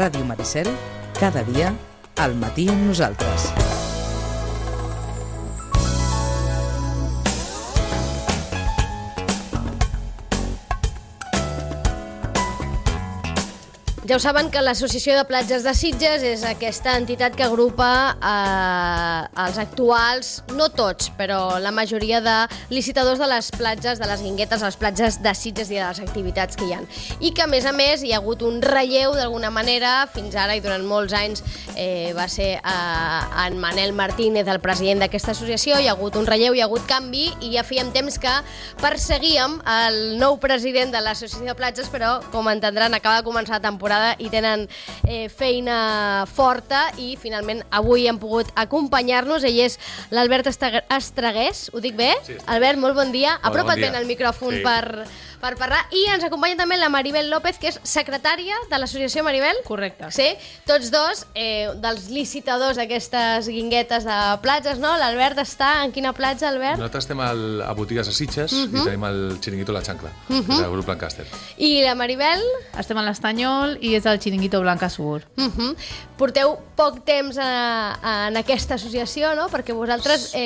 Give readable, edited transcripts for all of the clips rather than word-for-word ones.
Ràdio Maricel, cada dia, al matí amb nosaltres. Ja ho saben que l'Associació de Platges de Sitges és aquesta entitat que agrupa els actuals, no tots, però la majoria de licitadors de les platges, de les guinguetes, a les platges de Sitges i de les activitats que hi ha. I que, a més, hi ha hagut un relleu d'alguna manera, fins ara i durant molts anys va ser en Manel Martínez, el president d'aquesta associació, hi ha hagut un relleu, hi ha hagut canvi, i ja fèiem temps que perseguíem el nou president de l'Associació de Platges, però, com entendran, acaba de començar la temporada i tenen feina forta i finalment avui han pogut acompanyar-nos. Ell és l'Albert Estragués, ho dic bé? Sí, Albert, molt bon dia. Hola, Apropa't bon dia. ben al micròfon per parlar. I ens acompanya també la Maribel López, que és secretària de l'associació. Maribel? Correcte. Sí, tots dos dels licitadors d'aquestes guinguetes de platges, no? L'Albert està en quina platja, Albert? Nosaltres estem a Botigues de Sitges i tenim el xiringuito La Xancla, del grup Lancaster. I la Maribel? Estem a l'Estanyol i és el xiringuito Blanca Subur. Porteu poc temps en aquesta associació, no? Perquè vosaltres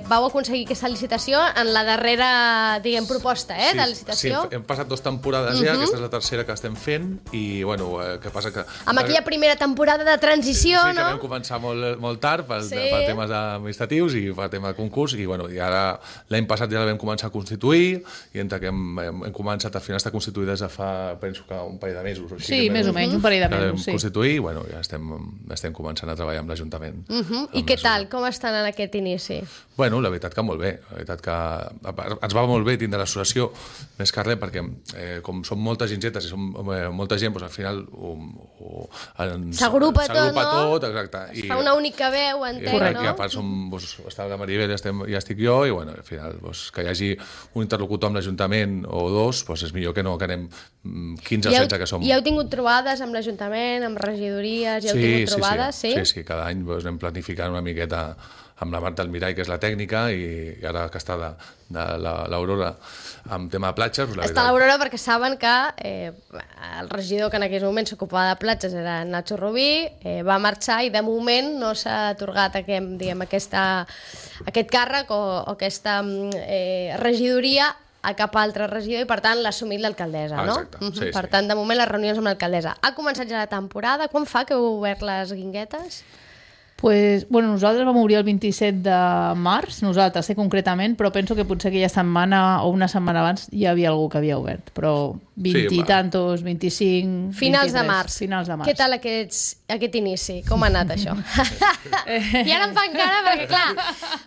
vau aconseguir aquesta licitació en la darrera, diguem, proposta de licitació. Sí, hem passat 2 temporades ja, aquesta és la tercera que estem fent i, bueno, què passa que... Amb aquella primera temporada de transició, sí, no? que vam començar molt tard per temes administratius i per tema de concurs i, bueno, i ara l'any passat ja la vam començar a constituir i entre que hem començat al final està constituïda des de fa, penso que un parell de mesos o així. Sí, més o menys, un parell de mesos, sí. Vam constituir i, bueno, ja estem començant a treballar amb l'Ajuntament. I què tal? Com estan en aquest inici? Bueno, la veritat que molt bé. La veritat que ens va molt bé tindre l'associació, més que res, perquè com som moltes gingetes i som molta gent, doncs al final s'agrupa tot, exacte. Es fa una única veu, entenc, no? I a part està la Maribel i estic jo, i bueno, al final que hi hagi un interlocutor amb l'Ajuntament o dos, és millor que no que anem 15 o 16 que som. I heu tingut trobades amb l'Ajuntament, amb regidories, heu tingut trobades, sí? Sí, cada any anem planificant una miqueta amb la Marta Almirall, que és la tècnica, i ara que està de l'Aurora amb tema de platges... Està l'Aurora perquè saben que el regidor que en aquells moments s'ocupava de platges era Nacho Rubí, va marxar i de moment no s'ha atorgat aquest càrrec o aquesta regidoria a cap altre regidor i per tant l'ha assumit l'alcaldessa, no? Exacte, sí. Per tant, de moment les reunions amb l'alcaldessa. Ha començat ja la temporada, quan fa que heu obert les guinguetes? Nosaltres vam obrir el 27 de març, nosaltres, concretament, però penso que potser aquella setmana o una setmana abans hi havia algú que havia obert, però 20 i tantos, 25... Finals de març. Finals de març. Què tal aquest inici? Com ha anat això? I ara em fan cara perquè, clar,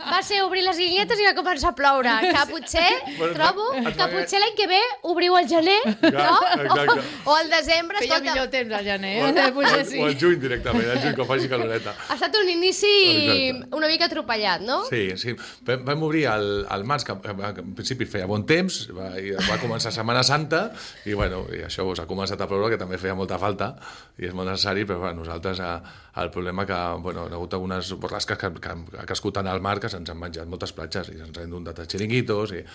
va ser obrir les guinguetes i va començar a ploure. Que potser, trobo, que potser l'any que ve obriu al gener, no? O al desembre. Feia millor temps al gener. O al juny directament, al juny que faci caloreta. Ha estat un inici una mica atropellat, no? Sí. Vam obrir al març, que en principi feia bon temps, va començar Setmana Santa, i bueno, i això ha començat a ploure, que també feia molta falta, i és molt necessari, però nosaltres el problema que hi ha hagut algunes borrasques que ha crescut tant al mar que se'ns han menjat moltes platges i se'ns han inundat els xiringuitos i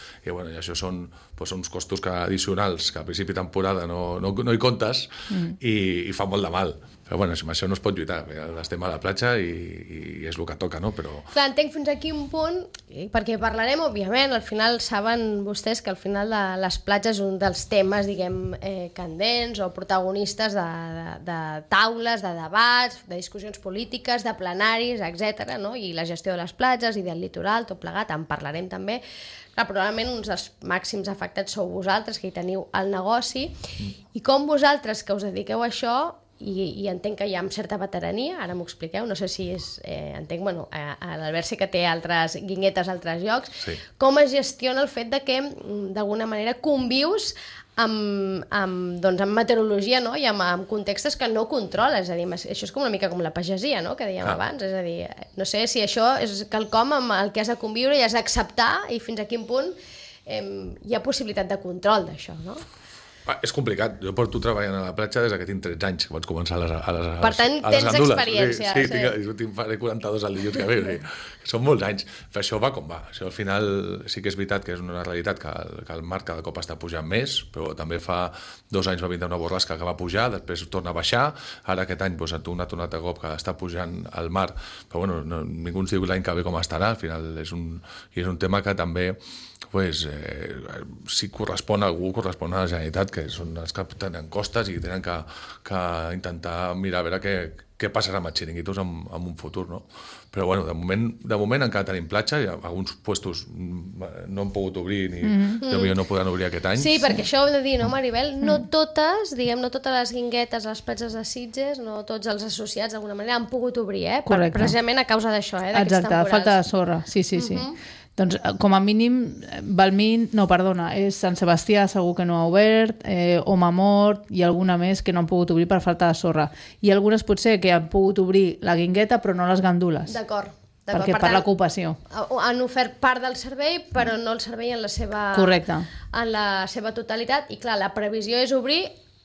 això són uns costos addicionals que a principi de temporada no hi comptes i fa molt de mal. Però bueno, amb això no es pot lluitar, estem a la platja i és el que toca, no? Però... Clar, entenc fins aquí un punt, perquè parlarem, òbviament, al final saben vostès que al final les platges és un dels temes, diguem, candents o protagonistes de taules, de debats, de discussions polítiques, de plenaris, etc. no? I la gestió de les platges i del litoral, tot plegat, en parlarem també. Clar, probablement uns dels màxims afectats sou vosaltres, que hi teniu el negoci, i com vosaltres, que us dediqueu a això, i entenc que hi ha amb certa veterania, ara m'ho expliqueu, no sé si és... entenc, bueno, l'Albert sé que té altres guinguetes a altres llocs, sí. Com es gestiona el fet de que, d'alguna manera, convius amb meteorologia, no? I amb contextes que no controles, és a dir, això és com una mica com la pagesia, no? Que dèiem abans, és a dir, no sé si això és quelcom amb el que has de conviure i has d'acceptar i fins a quin punt hi ha possibilitat de control d'això, no? És complicat. Jo porto treballant a la platja des que tinc 13 anys, que vaig començar a les Per tant, tens gandules. experiència. Sí, faré 42 al dilluns que ve. Són molts anys. Però això va com va. Això al final sí que és veritat que és una realitat que el mar cada cop està pujant més, però també fa 2 anys va vindre una borrasca que va pujar, després torna a baixar, ara aquest any ha tornat a cop que està pujant al mar, però bueno, ningú ens diu l'any que ve com estarà, al final és un tema que també si correspon a algú, correspon a la Generalitat, que són els que tenen costes i tenen que intentar mirar a veure què passarà amb els xiringuitos en un futur, no? Però bueno, de moment encara tenim platja, i alguns puestos no han pogut obrir ni potser no podran obrir aquest any. Sí, perquè això ho hem de dir, no, Maribel? No totes les guinguetes a les platges de Sitges, no tots els associats d'alguna manera han pogut obrir, Correcte. Precisament a causa d'això, d'aquests temporals. Exacte, falta de sorra, sí. Doncs, com a mínim, és Sant Sebastià segur que no ha obert, Homamort i alguna més que no han pogut obrir per falta de sorra. I algunes potser que han pogut obrir la guingueta però no les gandules. D'acord. Perquè per l'ocupació. Han ofert part del servei, però no el servei en la seva... Correcte. En la seva totalitat. I clar, la previsió és obrir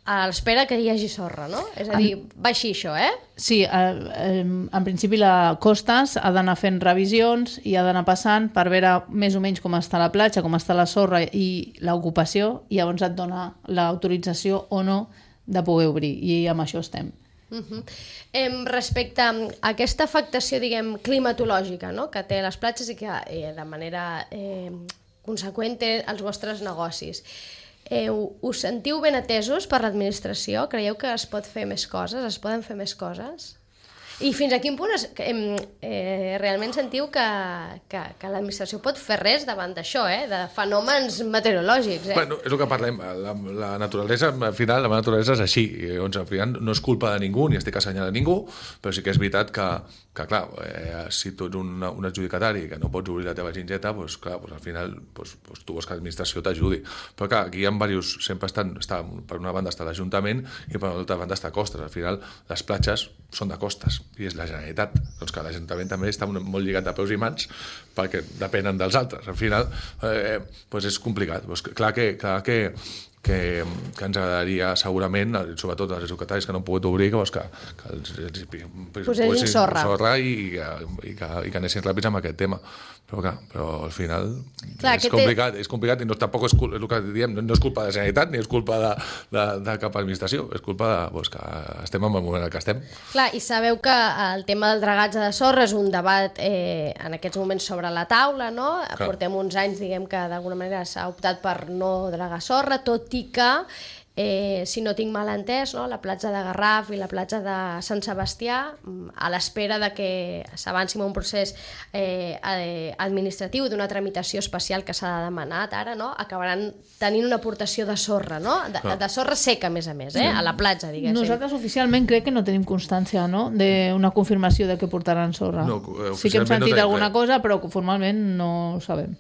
a l'espera que hi hagi sorra, no? És a dir, va així això, Sí, en principi la Costes ha d'anar fent revisions i ha d'anar passant per veure més o menys com està la platja, com està la sorra i l'ocupació, i llavors et dona l'autorització o no de poder obrir, i amb això estem. Respecte a aquesta afectació, diguem, climatològica, no?, que té les platges i que de manera conseqüent té els vostres negocis. Us sentiu ben atesos per l'administració? Creieu que es pot fer més coses? Es poden fer més coses? I fins a quin punt realment sentiu que l'administració pot fer res davant d'això, de fenòmens meteorològics? Bueno, és el que parlem. La naturalesa, al final, la naturalesa és així. Al final no és culpa de ningú, ni estic assenyalant ningú, però sí que és veritat que clar, si tu ets un adjudicatari que no pots obrir la teva gingeta, al final tu vols que l'administració t'ajudi. Però clar, aquí hi ha diversos, sempre està per una banda està l'Ajuntament i per l'altra banda està Costes. Al final les platges són de Costes i és la Generalitat. Doncs que l'Ajuntament també està molt lligat de peus i mans perquè depenen dels altres. Al final és complicat. Clar que ens agradaria segurament, sobretot als adjudicataris que no han pogut obrir, que posessin sorra i que anessin ràpids amb aquest tema, però al final és complicat i tampoc és el que diem, no és culpa de la Generalitat ni és culpa de cap administració, és culpa que estem en el moment en què estem. Clar, i sabeu que el tema del dragatge de sorra és un debat en aquests moments sobre la taula, no? Portem uns anys, diguem, que d'alguna manera s'ha optat per no dragar sorra, tot i que, si no tinc mal entès, no, la platja de Garraf i la platja de Sant Sebastià, a l'espera de que s'avanci en un procés administratiu d'una tramitació especial que s'ha demanat ara, no, acabaran tenint una aportació de sorra, no? De sorra seca, a més, a la platja, diguéssim. Nosaltres oficialment crec que no tenim constància, no?, d'una confirmació de que portaran sorra. No, sí que hem sentit alguna cosa, però formalment no ho sabem.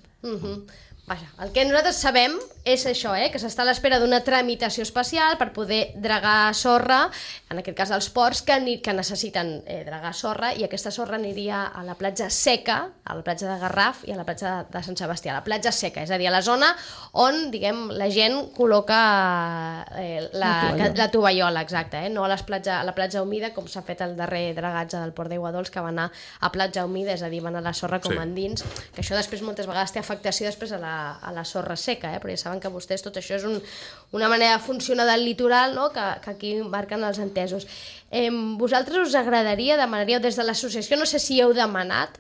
Vaja, el que nosaltres sabem és això, que s'està a l'espera d'una tramitació especial per poder dragar sorra, en aquest cas els ports que necessiten dragar sorra, i aquesta sorra aniria a la platja seca, a la platja de Garraf i a la platja de Sant Sebastià, la platja seca, és a dir, a la zona on, diguem, la gent col·loca la tovallola, exacte, no a la platja humida, com s'ha fet el darrer dragatge del Port d'Aiguadols, que va anar a platja humida, és a dir, va anar la sorra com endins, que això després moltes vegades té afectació després a la sorra seca, però ja saben que vostès tot això és una manera de funcionar del litoral, no?, que aquí marquen els entesos. Vosaltres us demanaríeu des de l'associació, no sé si heu demanat,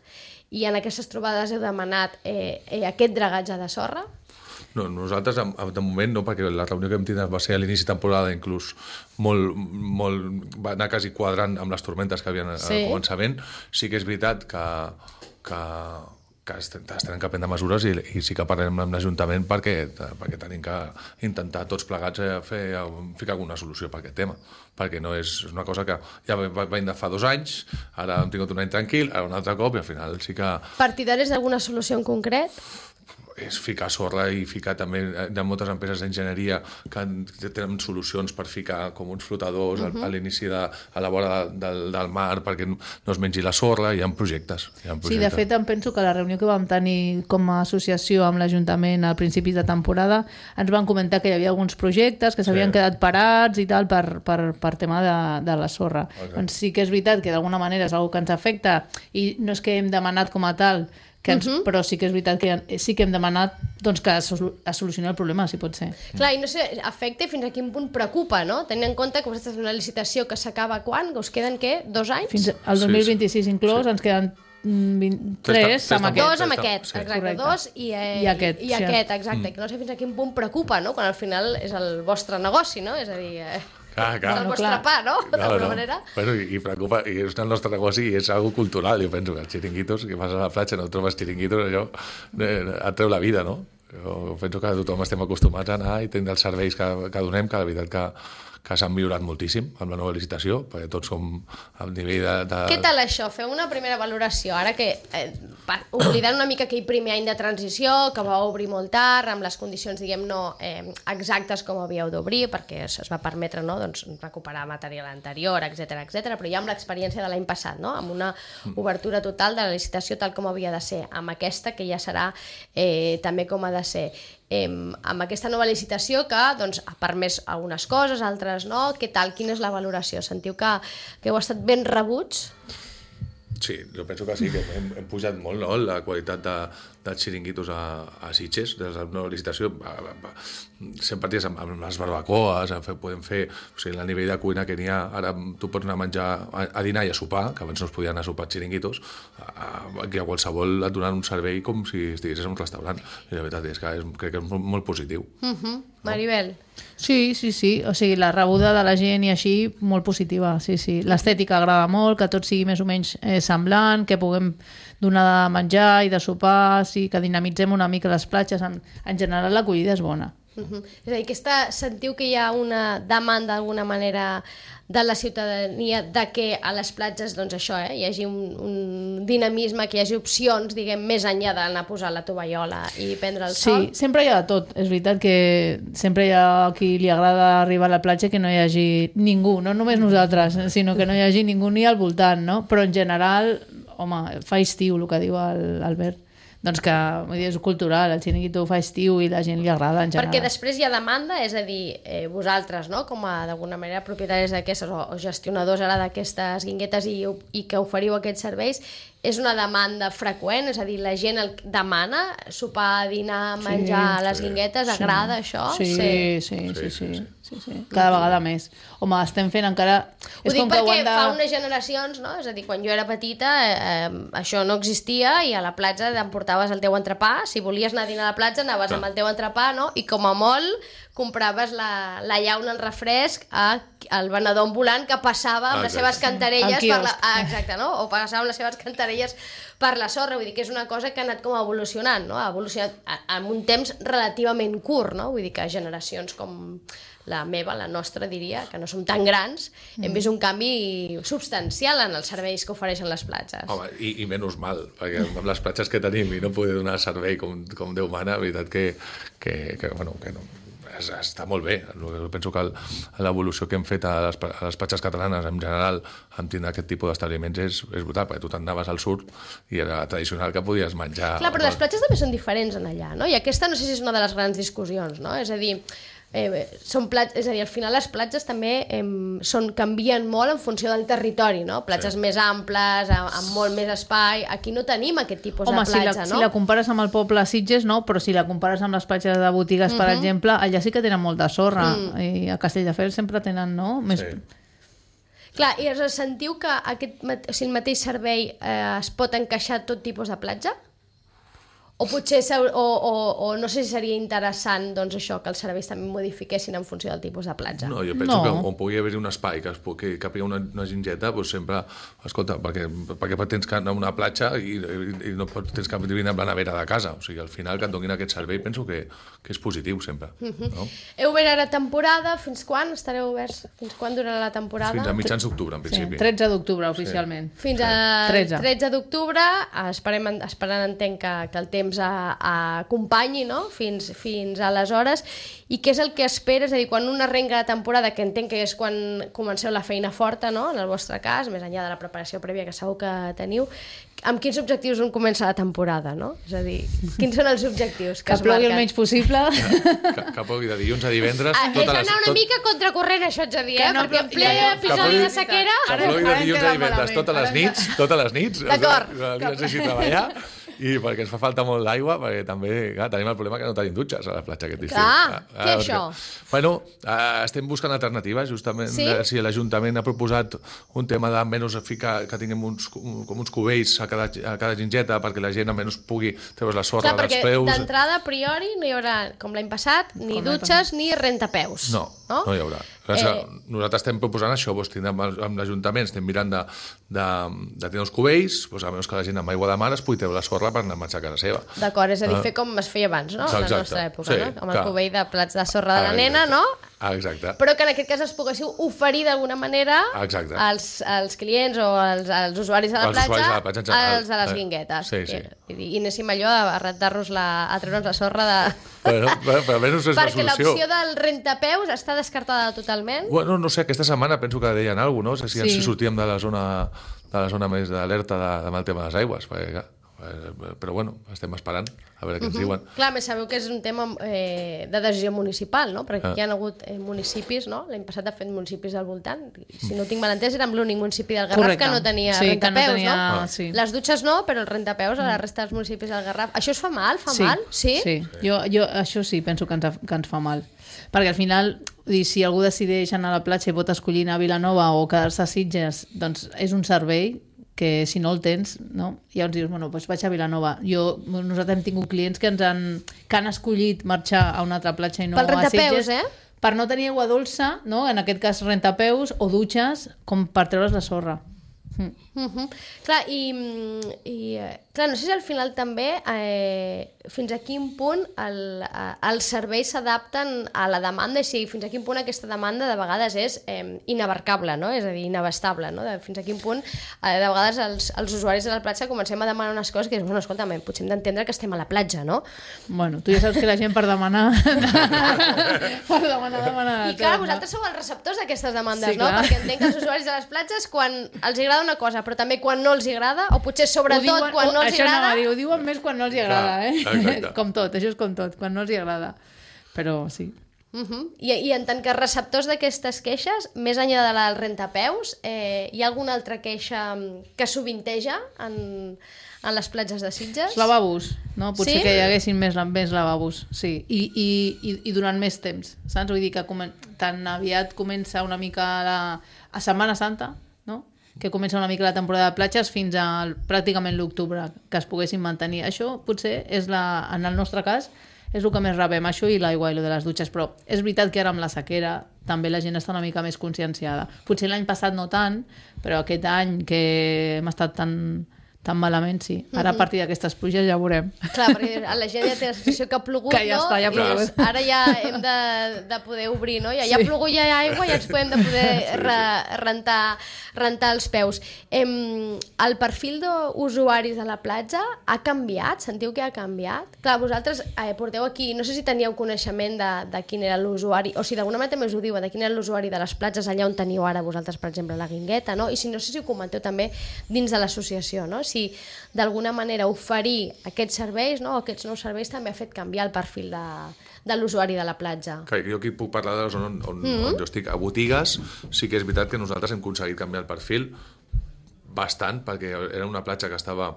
i en aquestes trobades heu demanat aquest dragatge de sorra? No, nosaltres de moment no, perquè la reunió que vam tenir va ser a l'inici de temporada, inclús va anar quasi quadrant amb les tormentes que havien al començament. Sí que és veritat que es tenen que prendre mesures i sí que parlem amb l'Ajuntament perquè tenim que intentar tots plegats ficar alguna solució per aquest tema, perquè no és una cosa que ja venim de fa 2 anys, ara hem tingut un any tranquil, ara un altre cop i al final sí que... Partidaris d'alguna solució en concret? és ficar sorra i ficar també, hi ha moltes empreses d'enginyeria que tenen solucions per ficar com uns flotadors a l'inici a la vora del mar perquè no es mengi la sorra, hi ha projectes. Sí, de fet em penso que la reunió que vam tenir com a associació amb l'Ajuntament al principi de temporada ens van comentar que hi havia alguns projectes que s'havien quedat parats i tal per tema de la sorra. Doncs sí que és veritat que d'alguna manera és una que ens afecta i no és que hem demanat com a tal però sí que és veritat que sí que hem demanat doncs, que es solucioni el problema, si pot ser. Clar, i no sé, afecta i fins a quin punt preocupa, no? Tenint en compte que vostès tenen una licitació que s'acaba quan? Que us queden, què? 2 anys? Fins al 2026 inclòs, ens queden 3 amb aquest. 2 amb aquest, exacte, 2 i aquest, exacte. Que no sé fins a quin punt preocupa, no? Quan al final és el vostre negoci, no? És a dir... Clar. El vostre pa, no? D'alguna manera. Bueno, i preocupa, i és el nostre negoci i és algo cultural, jo penso que els xiringuitos, que vas a la platja no trobes xiringuitos, allò et treu la vida, no? Jo penso que tothom estem acostumats a anar i tenir els serveis que donem, que la veritat que s'han millorat moltíssim amb la nova licitació, perquè tots som al nivell de... Què tal això? Feu una primera valoració, ara que, oblidant una mica aquell primer any de transició, que va obrir molt tard, amb les condicions, diguem, no exactes com havíeu d'obrir, perquè es va permetre recuperar material anterior, etc, però ja amb l'experiència de l'any passat, no? Amb una obertura total de la licitació tal com havia de ser, amb aquesta que ja serà també com ha de ser. Amb aquesta nova licitació que ha permès algunes coses, altres no. Què tal? Quina és la valoració? Sentiu que heu estat ben rebuts? Sí, jo penso que sí, que hem pujat molt, no?, la qualitat dels xiringuitos a Sitges, des de la nova licitació. Sempre ties amb les barbacoes, podem fer, o sigui, el nivell de cuina que n'hi ha, ara tu pots anar a menjar, a dinar i a sopar, que abans no es podien anar a sopar xiringuitos, que a qualsevol et donen un servei com si estiguessis en un restaurant. I la veritat és que crec que és molt positiu. Maribel? Sí, o sigui, la rebuda de la gent i així, molt positiva, sí. L'estètica agrada molt, que tot sigui més o menys semblant, que puguem donar de menjar i de sopar, sí, que dinamitzem una mica les platges, en general l'acollida és bona. És a dir, sentiu que hi ha una demanda d'alguna manera de la ciutadania de que a les platges hi hagi un dinamisme, que hi hagi opcions, diguem, més enllà d'anar a posar la tovallola i prendre el sol? Sí, sempre hi ha de tot. És veritat que sempre hi ha qui li agrada arribar a la platja que no hi hagi ningú, no només nosaltres, sinó que no hi hagi ningú ni al voltant, no? Però en general, home, fa estiu, el que diu l'Albert. Doncs que és cultural, el xiringuito fa estiu i la gent li agrada en general. Perquè després hi ha demanda, és a dir, vosaltres, no?, com a d'alguna manera propietaris d'aquestes o gestionadors ara d'aquestes guinguetes i que oferiu aquests serveis, és una demanda freqüent? És a dir, la gent demana sopar, dinar, menjar a les guinguetes? Agrada això? Sí. Cada vegada més. Home, estem fent encara... Ho dic perquè fa unes generacions, no? És a dir, quan jo era petita això no existia i a la platja t'emportaves el teu entrepà. Si volies anar a dinar a la platja anaves amb el teu entrepà, no? I com a molt compraves la llauna, el refresc al venedor ambulant que passava amb les seves cantarelles exacte, no? O passava amb les seves cantarelles per la sorra. Vull dir que és una cosa que ha anat com evolucionant, no? Ha evolucionat en un temps relativament curt, no? Vull dir que generacions com la meva, la nostra, diria, que no som tan grans, hem vist un canvi substancial en els serveis que ofereixen les platges. Home, i menys mal, perquè amb les platges que tenim i no poder donar servei com Déu mana, la veritat que no, està molt bé. Jo penso que l'evolució que hem fet a les platges catalanes en general amb tindre aquest tipus d'establiments és brutal, perquè tu t'anaves al sud i era tradicional que podies menjar... Clar, però les platges també són diferents en allà, no? I aquesta no sé si és una de les grans discussions, no? És a dir, al final les platges també canvien molt en funció del territori, no? Platges més amples, amb molt més espai. Aquí no tenim aquest tipus de platja, no? Si la compares amb el poble Sitges, no, però si la compares amb les platges de Botigues, per exemple, allà sí que tenen molta sorra, i a Castelldefels sempre tenen, no? Més... Clar, i sentiu que el mateix servei es pot encaixar a tot tipus de platja? O potser, o no sé si seria interessant, doncs això, que els serveis també modifiquessin en funció del tipus de platja. No, jo penso que on pugui haver-hi un espai que capigui una gingeta, doncs sempre, escolta, perquè tens que anar a una platja i no tens que vindre amb la nevera de casa. O sigui, al final que et donin aquest servei penso que és positiu sempre. No? Heu obert ara temporada, fins quan estareu oberts? Fins quan durarà la temporada? Fins a mitjans d'octubre, en principi. 13 d'octubre, oficialment. Fins a 13 d'octubre, esperant entenc que el temps temps acompanyi, no? Fins aleshores. I què és el que esperes? És a dir, quan un arrenca la temporada, que entenc que és quan comenceu la feina forta, no? En el vostre cas, més enllà de la preparació prèvia que segur que teniu, amb quins objectius un comença la temporada, no? És a dir, quins són els objectius que es plogui marquen? el menys possible. Que plogui de dilluns a divendres. És anar una mica contracorrent, això ets a dir, Que no perquè en plogui- ple ja, episodi de sequera... Que plogui de Ara dilluns queda a divendres, malament. totes les nits. D'acord. No necessito treballar. I perquè ens fa falta molt d'aigua, perquè també clar, tenim el problema que no tenim dutxes a la platja aquest estiu. Clar, què és això? Bueno, estem buscant alternatives, justament. Sí? Si l'Ajuntament ha proposat un tema de menys ficar, que tinguem com uns cubells a cada gingeta perquè la gent almenys pugui treure la sorra Clar, dels perquè peus. d'entrada, a priori, no hi haurà, com l'any passat, ni dutxes ni rentapeus. No hi haurà. Nosaltres estem proposant això, amb l'Ajuntament estem mirant de tenir els cubells, a menys que la gent amb aigua de mar es pugui treure la sorra per anar a marxar a casa seva. D'acord, és a dir, fer com es feia abans, no? A la nostra època, no? Amb el cubell de plats de sorra de la nena, no? Exacte. Però que en aquest cas es poguéssiu oferir d'alguna manera als clients o als usuaris de la platja, als de les guinguetes. I anéssim allò a rentar-nos a treure'ns la sorra de... Però almenys és la perquè solució. l'opció del rentapeus està descartada totalment? Bueno, no sé, aquesta setmana penso que deien alguna cosa, no? Si sortíem de la zona més d'alerta amb el tema de les aigües, perquè, clar, però bueno, estem esperant a veure què ens diuen. Clar, més sabeu que és un tema de decisió municipal, no? Perquè aquí hi ha hagut municipis, no? L'any passat ha fet municipis al voltant. Si no ho tinc mal entès, era amb l'únic municipi del Garraf que no tenia rentapeus, no? Sí. Les dutxes no, però els rentapeus a la resta dels municipis del Garraf. Això es fa mal? Fa mal? Sí. Jo això sí, penso que ens fa mal. Perquè al final, si algú decideix anar a la platja i pot escollir anar a Vilanova o quedar-se a Sitges, doncs és un servei que si no el tens, no? Llavors dius, bueno, doncs vaig a Vilanova. Nosaltres hem tingut clients que han escollit marxar a una altra platja i no a Sitges. Per no tenir aigua dolça, no? En aquest cas rentapeus o dutxes, com per treure's la sorra. Clar, clar, no sé si al final també fins a quin punt els serveis s'adapten a la demanda i si fins a quin punt aquesta demanda de vegades és inabarcable, no? És a dir, inabastable, no? Fins a quin punt de vegades els usuaris de la platja comencem a demanar unes coses que dius, bueno, escolta'm, potser hem d'entendre que estem a la platja, no? Bueno, tu ja saps que la gent per demanar... I clar, vosaltres sou els receptors d'aquestes demandes, no? Perquè entenc que els usuaris de les platges, quan els agrada una cosa, però també quan no els agrada, o potser sobretot quan no els agrada... Ho diuen més quan no els agrada, Com tot, això és com tot, quan no els agrada. Però sí. I en tant que receptors d'aquestes queixes, més enllà de la del rentapeus, hi ha alguna altra queixa que sovinteja en les platges de Sitges? Els lavabos, no? Potser que hi haguessin més lavabos, sí. I durant més temps, saps? Vull dir que tan aviat comença una mica a Setmana Santa, no? Que comença una mica la temporada de platges fins a pràcticament l'octubre, que es poguessin mantenir. Això potser és en el nostre cas és el que més rebem, això i l'aigua i el de les dutxes, però és veritat que ara amb la sequera també la gent està una mica més conscienciada. Potser l'any passat no tant, però aquest any que hem estat tan malament, sí. Ara a partir d'aquestes pluges ja veurem. Clar, perquè la gent ja té la sensació que ha plogut, que ja no? Està, ja ha plogut. Ara ja hem de poder obrir, no? Ja ha plogut, ja hi ha aigua, ja ens podem de poder rentar els peus. El perfil d'usuaris de la platja ha canviat? Sentiu que ha canviat? Clar, vosaltres porteu aquí, no sé si teníeu coneixement de quin era l'usuari, o si d'alguna manera també us ho diuen, de quin era l'usuari de les platges allà on teniu ara vosaltres, per exemple, la Guingueta, no? I si no sé si ho comenteu també dins de l'associació, no? Si d'alguna manera oferir aquests serveis, no? Aquests nous serveis també ha fet canviar el perfil de l'usuari de la platja. Clar, jo aquí puc parlar de la zona on jo estic. A botigues sí que és veritat que nosaltres hem aconseguit canviar el perfil bastant, perquè era una platja que estava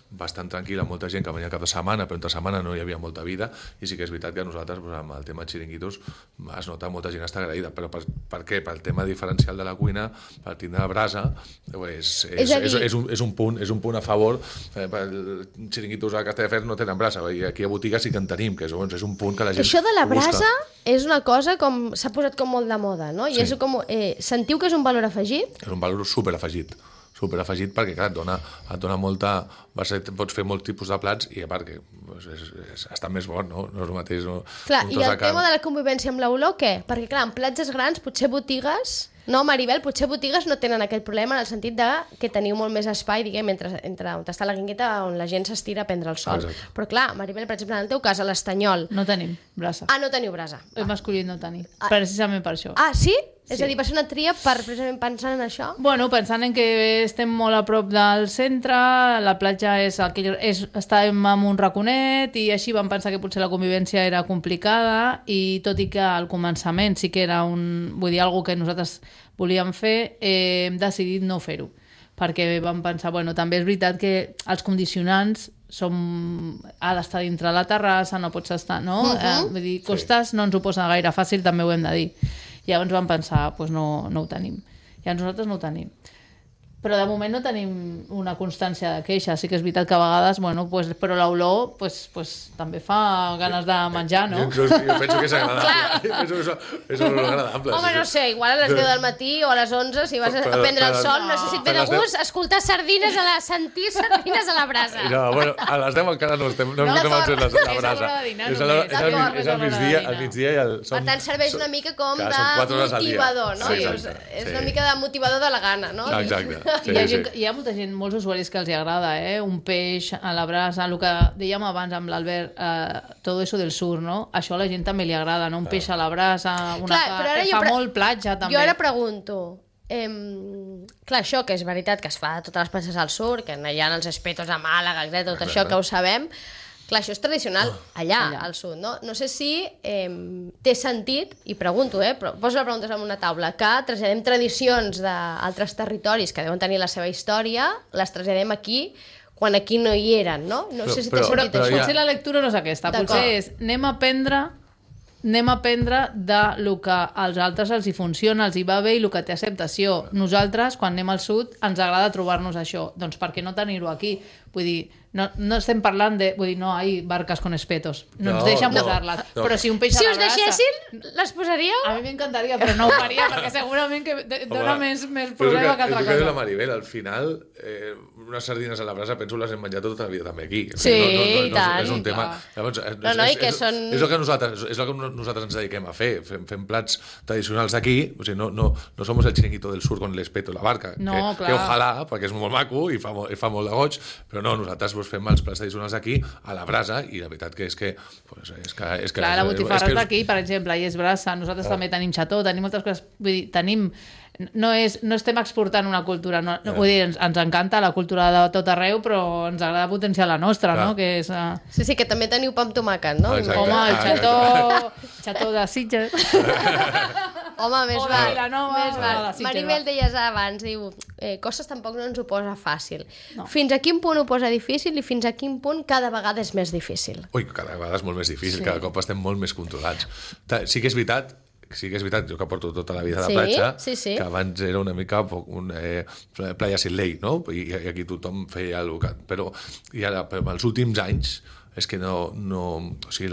bastant tranquil·la, molta gent que venia cap de setmana, però entre setmana no hi havia molta vida, i sí que és veritat que nosaltres, amb el tema xiringuitos, es nota molta gent està agraïda. Però per què? Pel tema diferencial de la cuina, per tindre brasa, és un punt a favor. Els xiringuitos a Castelldefels no tenen brasa, i aquí a botiga sí que en tenim, que és un punt que la gent això de la brasa és una cosa com s'ha posat com molt de moda, no? I és com, sentiu que és un valor afegit? És un valor superafegit perquè, clar, et dona molta... Pots fer molts tipus de plats i, a part, que està més bon, no? No és el mateix... Clar, i el tema de la convivència amb l'olor, què? Perquè, clar, en platges grans, potser botigues... No, Maribel, potser botigues no tenen aquest problema en el sentit de que teniu molt més espai, diguem, entre on està la guingueta on la gent s'estira a prendre el sol. Exacte. Però clar, Maribel, per exemple, en el teu cas, a l'Estanyol... No tenim brasa. Ah, no teniu brasa. Hem escollit no tenir, precisament per això. Ah, sí? És a dir, va ser una tria precisament pensant en això? Bueno, pensant en que estem molt a prop del centre, la platja estàvem en un raconet i així vam pensar que potser la convivència era complicada i tot i que al començament sí que era algo que nosaltres volíem fer, hem decidit no fer-ho. Perquè vam pensar, bueno, també és veritat que els condicionants ha d'estar dintre la terrassa, no pots estar, no? Vull dir, costes no ens ho posen gaire fàcil, també ho hem de dir. Llavors vam pensar, doncs no ho tenim. I nosaltres no ho tenim. Però de moment no tenim una constància de queixa. Sí que és veritat que a vegades, bueno, però l'olor també fa ganes de menjar, no? Jo penso que és agradable. És una olor agradable. Home, no sé, igual a les 10 del matí o a les 11, si vas a prendre el sol, no sé si et ve de gust escoltar sentir sardines a la brasa. No, bueno, a les 10 encara no estem encén la brasa. És al migdia i al... Per tant, serveix una mica com de motivador, no? És una mica de motivador de la gana, no? Exacte. Sí, hi ha molta gent, molts usuaris que els agrada, un peix a la brasa, el que dèiem abans amb l'Albert, tot això del sur, no? Això a la gent també li agrada, no? Un peix a la brasa, fa molt platja també. Jo ara pregunto, clar, això que és veritat que es fa a totes les platges al sur, que hi ha els espetos a Màlaga, tot això que ho sabem, clar, això és tradicional allà, al sud, no? No sé si té sentit, i pregunto, però poso la pregunta en una taula, que traslladem tradicions d'altres territoris que deuen tenir la seva història, les traslladem aquí, quan aquí no hi eren, no? No sé si té sentit això. Potser la lectura no és aquesta, potser és anem a aprendre de lo que als altres els hi funciona, els hi va bé i el que té acceptació. Nosaltres, quan anem al sud, ens agrada trobar-nos això. Doncs per què no tenir-ho aquí? Vull dir, no estem parlant de... Vull dir, no hi barques con espetos. No ens deixen posar-les. Però si un peix a la brasa... Si us deixessin, les posaríeu? A mi m'encantaria, però no ho faria, perquè segurament que dona més problema que altra cosa. És el que la Maribel, al final, unes sardines a la brasa, penso les hem menjat tota la vida també aquí. Sí, i tant. És un tema... És el que nosaltres ens dediquem a fer. Fem plats tradicionals d'aquí, o sigui, no som el chiringuito del sur con l'espeto i la barca, que ojalà, perquè és molt maco i fa molt de goig, però no, nosaltres fem els plats tradicionals d'aquí a la brasa i la veritat que és que... Clar, la botifarra és d'aquí, per exemple, i és brasa, nosaltres també tenim xató, tenim moltes coses, vull dir, tenim... No estem exportant una cultura, vull dir, ens encanta la cultura de tot arreu, però ens agrada potenciar la nostra, no? Que és, Sí, que també teniu pa amb tomàquet, no? Home, el xató de Sitges. Home, més val. Vilanova. Maribel, deies abans, diu, coses tampoc no ens ho posa fàcil. Fins a quin punt ho posa difícil i fins a quin punt cada vegada és més difícil? Ui, cada vegada és molt més difícil, cada cop estem molt més controlats. Sí que és veritat, jo que porto tota la vida de platja, que abans era una mica playa sin ley, no? I aquí tothom feia el que... Però els últims anys és que no... O sigui,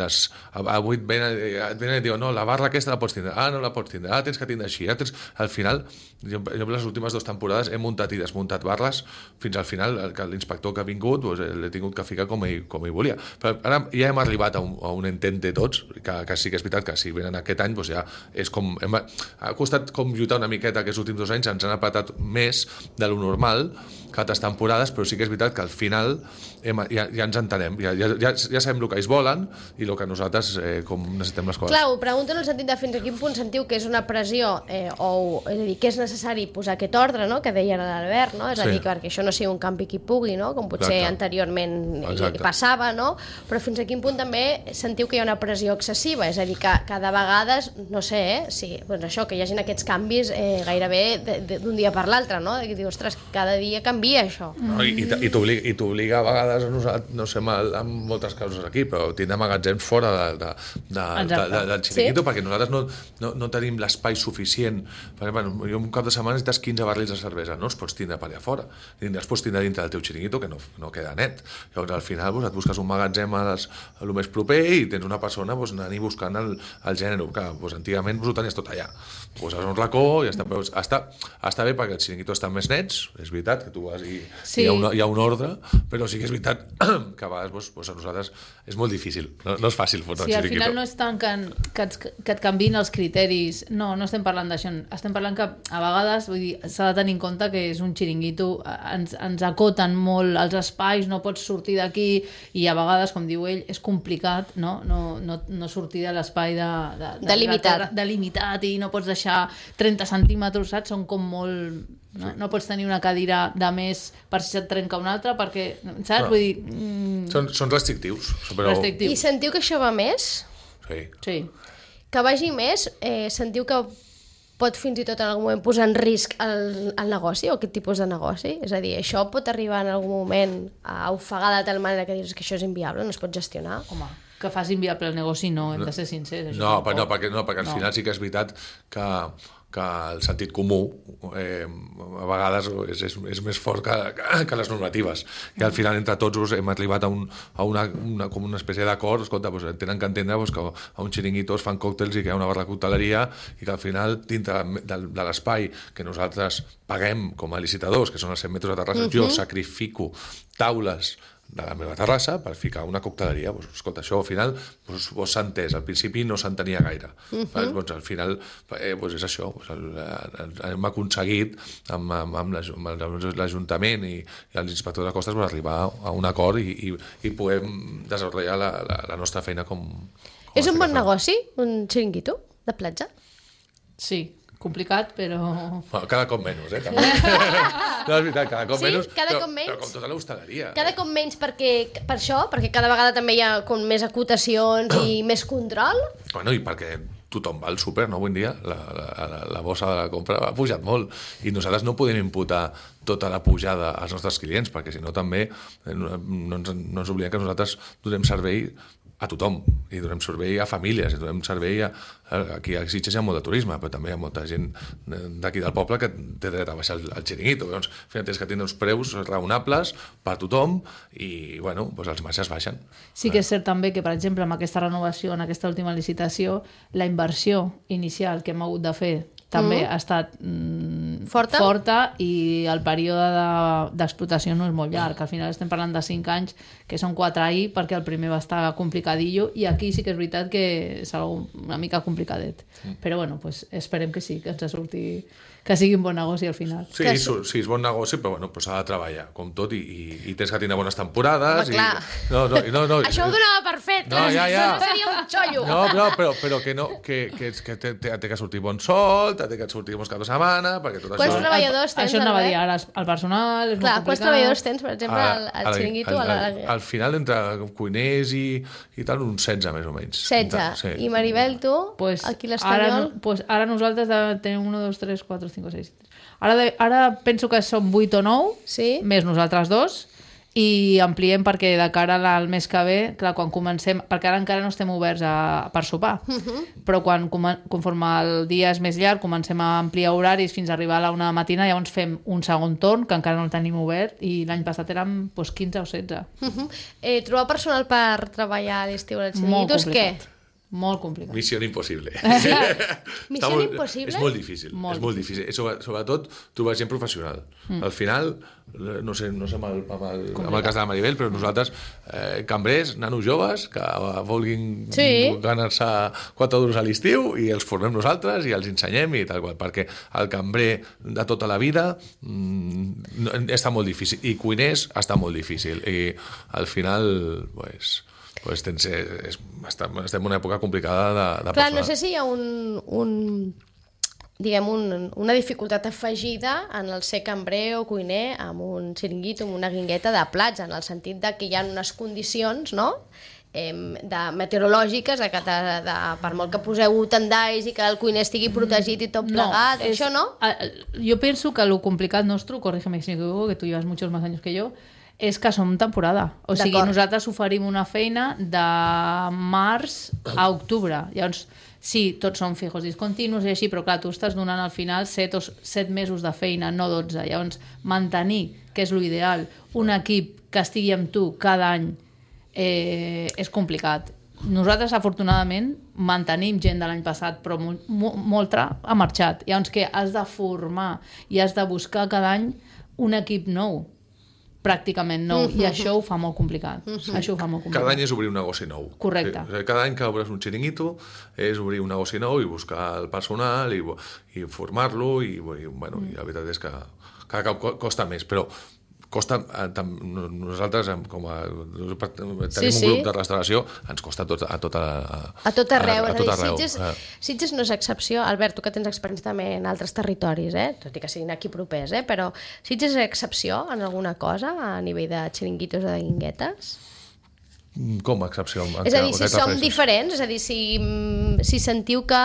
avui et venen i diuen, no, la barra aquesta la pots tindre, no la pots tindre, tens que tindre així, al final, jo les últimes 2 temporades he muntat i desmuntat barres fins al final, que l'inspector que ha vingut l'he tingut que ficar com ell volia. Però ara ja hem arribat a un entente tots, que sí que és veritat que si venen aquest any, ja és com... Ha costat com lluitar una miqueta aquests últims 2 anys, ens han apretat més de lo normal que altres temporades, però sí que és veritat que al final ja ens entenem, ja sabem el que ells volen i el que nosaltres com necessitem les coses. Clar, ho pregunto en el sentit de fins a quin punt sentiu que és una pressió és a dir, que és necessari posar aquest ordre, no?, que deia l'Albert, no? És a dir, perquè això no sigui un campi qui pugui, no?, com potser anteriorment passava, no? Però fins a quin punt també sentiu que hi ha una pressió excessiva, és a dir, que cada vegada, no sé, doncs això, que hi hagin aquests canvis gairebé d'un dia per l'altre, no? Que dius, ostres, cada dia canvia això. I t'obliga a vegades, no sé, amb moltes causes aquí, però tindre magatzems fora del xiringuito, perquè nosaltres no tenim l'espai suficient. Perquè, jo un cap de setmana necessites 15 barrils de cervesa, no els pots tindre per allà fora, els pots tindre dintre del teu xiringuito, que no queda net. Llavors, al final, et busques un magatzem a lo més proper i tens una persona anant-hi buscant el gènere, que antigament ho tenies tot allà. Poses un racó i està bé perquè els xiringuitos estan més nets, és veritat que tu vas i hi ha un ordre, però sí que és veritat que a vegades a nosaltres és molt difícil, no és fàcil fotre un Sí, al xiringuito. final no és tant que et canviïn els criteris. No estem parlant d'això. Estem parlant que a vegades s'ha de tenir en compte que és un xiringuito, ens acoten molt els espais, no pots sortir d'aquí i a vegades, com diu ell, és complicat no sortir de l'espai delimitat i no pots deixar 30 centímetres, saps? Són com molt... No pots tenir una cadira de més per si se't trenca una altra, perquè, saps? Vull dir... Són restrictius. Però... I sentiu que això va més? Sí. Que vagi més, sentiu que pot fins i tot en algun moment posar en risc el negoci o aquest tipus de negoci? És a dir, això pot arribar en algun moment a ofegar de tal manera que dius que això és inviable, no es pot gestionar? Home, que fas inviable el negoci hem de ser sincers. Perquè al final sí que és veritat que el sentit comú a vegades és més fort que les normatives, i al final entre tots hem arribat a una espècie d'acord. Escolta, tenen que entendre que a un xiringuito es fan còctels i que hi ha una barra de cocteleria i que al final dintre de l'espai que nosaltres paguem com a licitadors, que són els 100 metres de terrassa, jo sacrifico taules de la meva terrassa per ficar una cocteleria. Escolta, això al final s'ha entès, al principi no s'entenia gaire. Al final és això, hem aconseguit amb l'Ajuntament i els inspectors de costes arribar a un acord i podem desenvolupar la nostra feina com és un bon negoci, un xiringuito de platja? Sí, complicat, però... Bueno, cada cop menys, també. No, és veritat, cada cop menys. Cada cop menys. Però com tota l'hostaleria. Cada cop menys per això, perquè cada vegada també hi ha com més acotacions i més control. Bueno, i perquè tothom va al súper, no? Avui en dia la bossa de la compra ha pujat molt i nosaltres no podem imputar tota la pujada als nostres clients, perquè si no també no ens oblidem que nosaltres donem servei a tothom, i donem servei a famílies, i donem servei aquí a Sitges hi ha molt de turisme, però també hi ha molta gent d'aquí del poble que té dret a baixar el xiringuito. Llavors, al final tens que tenir uns preus raonables per a tothom i, bueno, els marges baixen. Sí que és cert també que, per exemple, amb aquesta renovació, en aquesta última licitació, la inversió inicial que hem hagut de fer també ha estat forta i el període d'explotació no és molt llarg. Al final estem parlant de 5 anys, que són 4 ahir, perquè el primer va estar complicadillo, i aquí sí que és veritat que és una mica complicadet. Però bueno, pues esperem que sí, que ens surti, que sigui un bon negoci al final. Sí, és bon negoci, però bueno, s'ha de treballar, com tot, i tens que tenir bones temporades. Home, clar. No. Això ho donava per fet. No, ja. Seria un xollo. No, però que té que sortir bon sol, té que sortir molts caps de setmana, perquè tot Quants això... treballadors tens? Això anava a dir, ara el personal és molt complicat. Quants treballadors tens, per exemple, al xiringuito? Al final, entre cuiners i tal, uns 16, més o menys. 16. I Maribel, tu? Aquí l'Estanyol? Ara nosaltres tenim 1, 2, 3, 4, 5, 6... Ara penso que som 8 o 9, més nosaltres 2, i ampliem perquè de cara al mes que ve, clar, quan comencem, perquè ara encara no estem oberts per sopar, però conforme el dia és més llarg, comencem a ampliar horaris fins a arribar a la 1 de la matina, llavors fem un segon torn, que encara no el tenim obert, i l'any passat érem 15 o 16. Trobar personal per treballar a l'estiu als xiringuitos, què? Molt complicat. Missió impossible. Missió impossible? És molt difícil. És molt difícil. Sobretot trobar gent professional. Al final, no sé amb el cas de la Maribel, però nosaltres, cambrers, nanos joves, que vulguin ganar-se 4 duros a l'estiu, i els formem nosaltres i els ensenyem i tal qual, perquè el cambrer de tota la vida està molt difícil, i cuiners està molt difícil, i al final estem en una època complicada de personal. Clar, no sé si hi ha una dificultat afegida en el ser cambrer o cuiner amb un xiringuito, amb una guingueta de plats, en el sentit de que hi ha unes condicions, no?, meteorològiques, per molt que poseu tendalls i que el cuiner estigui protegit i tot plegat, això no? Jo penso que lo complicat nostre, corrígeme si m'equivoco, que tu llevas muchos más años que yo, és que som temporada. O sigui, nosaltres oferim una feina de març a octubre. Llavors, sí, tots són fijos discontinus i així, però clar, tu estàs donant al final 7 mesos de feina, no 12. Llavors, mantenir, que és l'ideal, un equip que estigui amb tu cada any és complicat. Nosaltres, afortunadament, mantenim gent de l'any passat, però molta ha marxat. Llavors, que has de formar i has de buscar cada any un equip nou. pràcticament nou, i això ho fa molt complicat. Això ho fa molt complicat. Cada any és obrir un negoci nou. Correcte. Sí, cada any que obres un xiringuito és obrir un negoci nou i buscar el personal i formar-lo i la veritat és que cada cop costa més, però costa, nosaltres com a tenim un grup de restauració, ens costa a tot arreu. Sitges no és excepció. Albert, tu que tens experiència també en altres territoris, tot i que siguin aquí propers, però Sitges és excepció en alguna cosa a nivell de xiringuitos o de guinguetes? Com a excepció? És a dir, si som diferents, és a dir, si sentiu que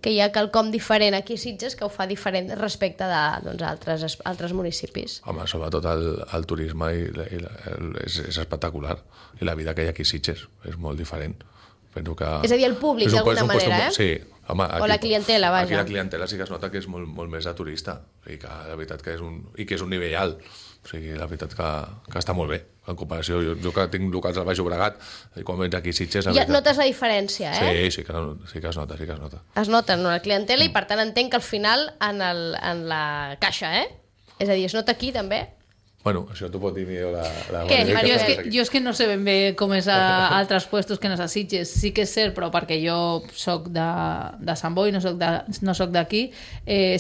hi ha quelcom diferent aquí a Sitges que ho fa diferent respecte d'altres municipis. Home, sobretot el turisme és espectacular, i la vida que hi ha aquí a Sitges és molt diferent. És a dir, el públic d'alguna manera, Sí. Home, o la clientela, vaja. Aquí la clientela sí que es nota que és molt més de turista, i que la veritat que és un nivell alt. O sigui, la veritat que està molt bé, en comparació. Jo que tinc locals al Baix Llobregat, i quan vens aquí a Sitges... Ja et notes la diferència, Sí que es nota. Es nota en la clientela i, per tant, entenc que al final en la caixa, És a dir, es nota aquí també? Bueno, això t'ho pot dir millor la Què, Mario? Jo és que no sé ben bé com és a altres puestos que no és a Sitges. Sí que és cert, però perquè jo soc de Sant Boi, no soc d'aquí,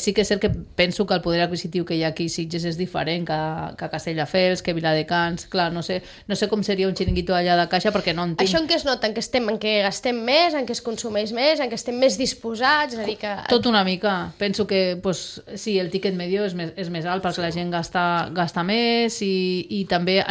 sí que és cert que penso que el poder adquisitiu que hi ha aquí a Sitges és diferent que Castelldefels, que Viladecans. Clar, no sé com seria un xiringuito allà de caixa perquè no en tinc. Això en què es nota? En què gastem més, en què es consumeix més, en què estem més disposats? És a dir que... Tot una mica. Penso que sí, el tiquet medio és més alt perquè la gent gasta més, i també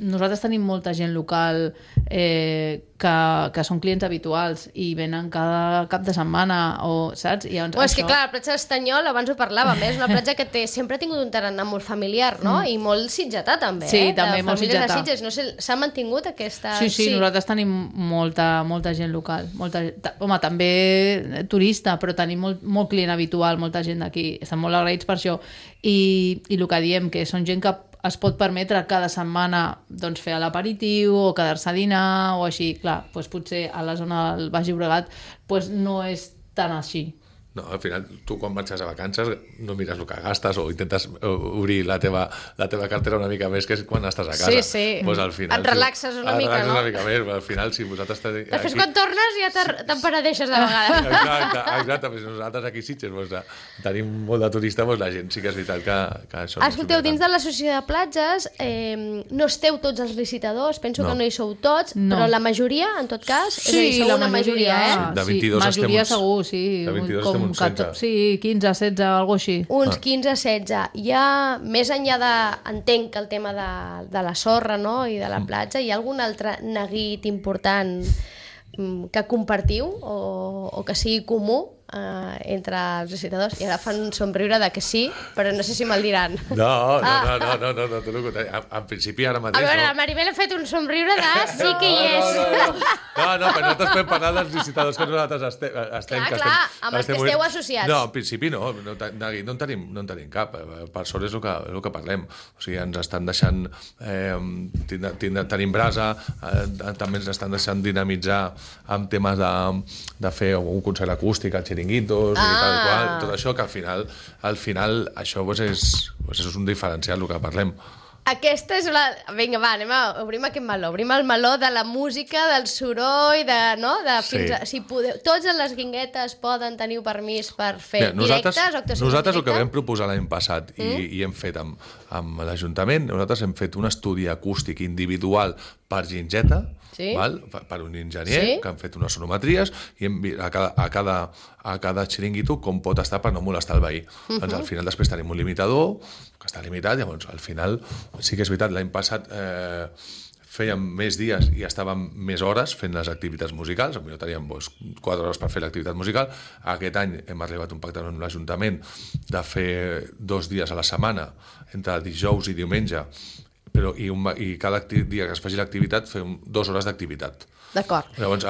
nosaltres tenim molta gent local que són clients habituals i venen cada cap de setmana, saps? És que clar, la platja d'Estanyol, abans ho parlàvem, és una platja que sempre ha tingut un tarannà molt familiar, no? I molt sitgetà també, Sí, també molt sitgetà. No sé, s'ha mantingut aquesta... Sí, nosaltres tenim molta gent local. Home, també turista, però tenim molt client habitual, molta gent d'aquí. Estan molt agraïts per això. I el que diem, que són gent que es pot permetre cada setmana fer l'aperitiu o quedar-se a dinar o així. Clar, potser a la zona del Baix Llobregat no és tan així. No, al final, tu quan marxes a vacances no mires el que gastes o intentes obrir la teva cartera una mica més que quan estàs a casa. Sí. Pues al final, et relaxes una mica, no? una mica més, al final, si vosaltres... Després quan tornes ja t'emperadeixes de vegades. Exacte, però nosaltres aquí a Sitges tenim molt de turista, la gent sí que és veritat que això... Escolteu, dins de l'associació de platges no esteu tots els licitadors, penso que no hi sou tots, però la majoria, en tot cas, sí, sou una majoria, De 22 majoria segur, sí. De 22 estem uns 16. Sí, 15, 16, algo així. Uns 15, 16. Hi ha, més enllà entenc que el tema de la sorra, no?, i de la platja, hi ha algun altre neguit important que compartiu o que sigui comú entre els recitadors? I ara fan un somriure de que sí, però no sé si me'l diran. No, tot el contrari. En principi ara mateix... A veure, la Maribel ha fet un somriure de sí que hi és. No, però nosaltres podem parlar dels licitadors que nosaltres estem... Clar, amb els que esteu associats. No, en principi no en tenim cap. Per sort és el que parlem. O sigui, ens estan deixant... Tenim brasa, també ens estan deixant dinamitzar amb temes de fer un concert acústic, xiringuitos i tal qual, tot això que al final això és un diferencial el que parlem. Aquesta és la... Vinga, va, obrim aquest meló. Obrim el meló de la música, del soroll, si tots en les guinguetes poden tenir permís per fer directes o actuacions. Nosaltres el que vam proposar l'any passat i hem fet amb l'Ajuntament, nosaltres hem fet un estudi acústic individual per gingeta, per un enginyer, que han fet unes sonometries i hem vist a cada xiringuito com pot estar per no molestar el veí. Doncs al final després tenim un limitador que està limitat, llavors al final sí que és veritat, l'any passat fèiem més dies i estàvem més hores fent les activitats musicals, potser teníem 4 hores per fer l'activitat musical. Aquest any hem arribat a un pacte amb l'Ajuntament de fer 2 dies a la setmana, entre dijous i diumenge, i cada dia que es faci l'activitat fem 2 hores d'activitat. D'acord. Llavors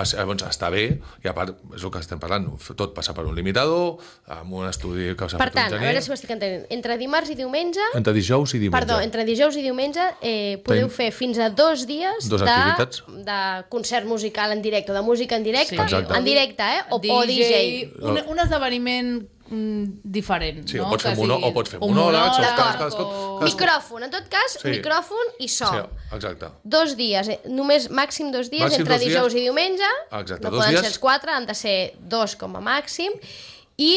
està bé, i a part és el que estem parlant, tot passa per un limitador, amb un estudi que s'ha fet un enginyer. Per tant, a veure si ho estic entenent, entre dimarts i diumenge... Entre dijous i diumenge. Perdó, entre dijous i diumenge podeu fer fins a 2 dies de concert musical en directe, o de música en directe, en directe, o DJ. Un esdeveniment diferent. Sí, no? o pots fer monòlegs, micròfon, en tot cas, micròfon i so. Sí, exacte. 2 dies, només màxim 2 dies, Màxim entre 2 dijous i diumenge. Exacte, no 2 poden dies. ser els 4, han de ser 2 com a màxim. I